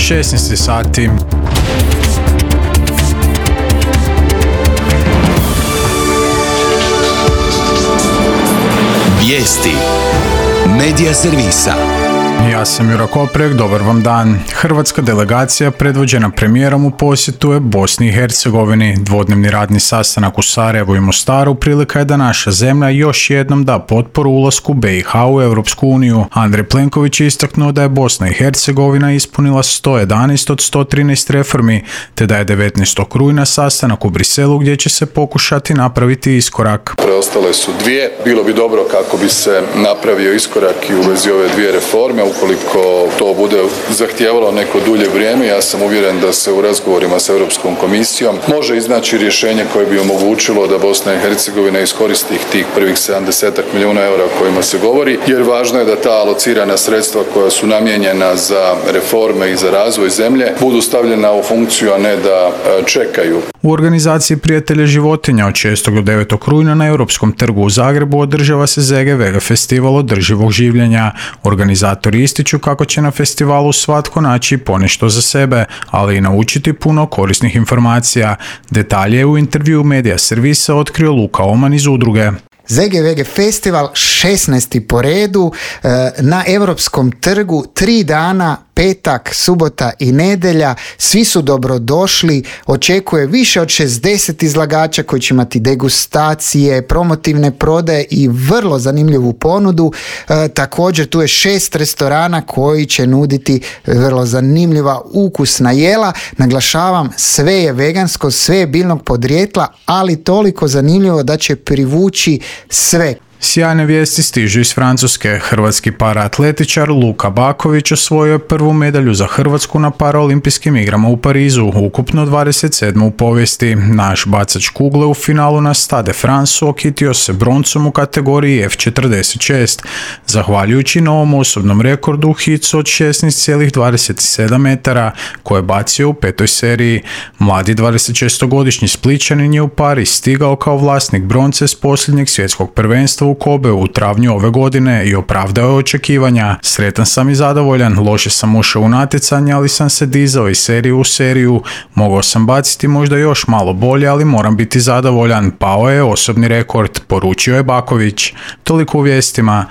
16 sati. Vijesti Medija servisa. Ja sam Jura Koprek, dobar vam dan. Hrvatska delegacija predvođena premijerom u posjetu je Bosni i Hercegovini. Dvodnevni radni sastanak u Sarajevu i Mostaru prilika je da naša zemlja još jednom da potporu ulasku BiH u Europsku uniju. Andrej Plenković je istaknuo da je Bosna i Hercegovina ispunila 111 od 113 reformi, te da je 19. rujna sastanak u Briselu gdje će se pokušati napraviti iskorak. Preostale su dvije. Bilo bi dobro kako bi se napravio iskorak i u vezi ove dvije reforme. Ukoliko to bude zahtijevalo neko dulje vrijeme, ja sam uvjeren da se u razgovorima s Europskom komisijom može iznaći rješenje koje bi omogućilo da Bosna i Hercegovina iskoristi tih prvih 70 milijuna eura o kojima se govori, jer važno je da ta alocirana sredstva koja su namijenjena za reforme i za razvoj zemlje budu stavljena u funkciju, a ne da čekaju. U organizaciji Prijatelja životinja od 6. do 9. rujna na Europskom trgu u Zagrebu održava se ZGVG festival održivog življenja. Organizatori ističu kako će na festivalu svatko naći ponešto za sebe, ali i naučiti puno korisnih informacija. Detalje je u intervju Medija servisa otkrio Luka Oman iz udruge. ZGVG festival 16. po redu na Europskom trgu, 3 dana, petak, subota i nedjelja. Svi su dobrodošli, očekuje više od 60 izlagača koji će imati degustacije, promotivne prodaje i vrlo zanimljivu ponudu. Također tu je 6 restorana koji će nuditi vrlo zanimljiva ukusna jela. Naglašavam, sve je vegansko, sve je biljnog podrijetla, ali toliko zanimljivo da će privući sve. Sjajne vijesti stižu iz Francuske. Hrvatski paraatletičar Luka Baković osvojio je prvu medalju za Hrvatsku na paraolimpijskim igrama u Parizu, ukupno 27. u povijesti. Naš bacač kugle u finalu na Stade France okitio se broncom u kategoriji F46, zahvaljujući novom osobnom rekordu u hicu od 16,27 metara, koje je bacio u 5. seriji. Mladi 26-godišnji Splićanin je u Pariz stigao kao vlasnik bronce s posljednjeg svjetskog prvenstva u Kobeu u travnju ove godine i opravdao je očekivanja. Sretan sam i zadovoljan, loše sam ušao u natjecanje, ali sam se dizao iz serije u seriju. Mogao sam baciti možda još malo bolje, ali moram biti zadovoljan. Pao je osobni rekord, poručio je Baković. Toliko u vijestima.